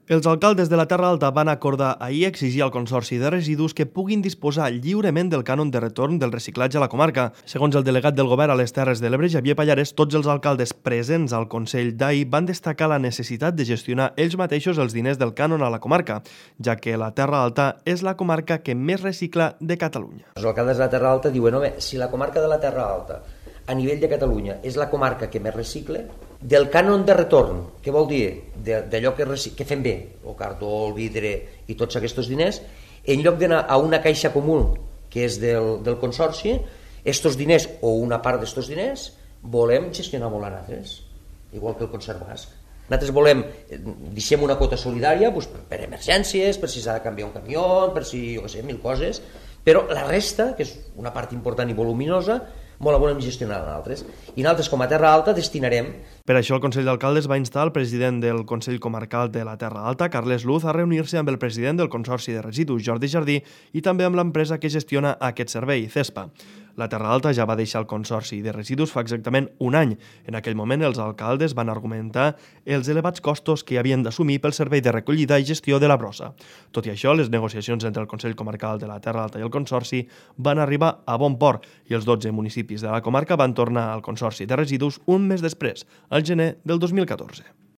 Els alcaldes de la Terra Alta van acordar ahir exigir al Consorci de Residus que puguin disposar lliurement del cànon de retorn del reciclatge a la comarca. Segons el delegat del govern a les Terres de l'Ebre, Xavier Pallares, tots els alcaldes presents al Consell d'ahir van destacar la necessitat de gestionar ells mateixos els diners del cànon a la comarca, ja que la Terra Alta és la comarca que més recicla de Catalunya. Els alcaldes de la Terra Alta diuen: home, si la comarca de la Terra Alta a nivell de Catalunya és la comarca que més recicle, del cànon de retorn, què vol dir? D'allò que fem bé, el cartó, el vidre i tots aquests diners, en lloc d'anar a una caixa comú que és del Consorci, estos diners o una part d'estos diners volem gestionar-ho nosaltres, igual que el Concert Basc. Nosaltres volem, deixem una quota solidària per emergències, per si s'ha de canviar un camió, per si, jo què sé, mil coses, però la resta, que és una part important i voluminosa, molt la volem gestionar nosaltres. I nosaltres, com a Terra Alta, destinarem... Per això el Consell d'Alcaldes va instar el president del Consell Comarcal de la Terra Alta, Carles Luz, a reunir-se amb el president del Consorci de Residus, Jordi Jardí, i també amb l'empresa que gestiona aquest servei, CESPA. La Terra Alta ja va deixar el Consorci de Residus fa exactament un any. En aquell moment, els alcaldes van argumentar els elevats costos que havien d'assumir pel servei de recollida i gestió de la brossa. Tot i això, les negociacions entre el Consell Comarcal de la Terra Alta i el Consorci van arribar a bon port i els 12 municipis de la comarca van tornar al Consorci de Residus un mes després, al gener del 2014.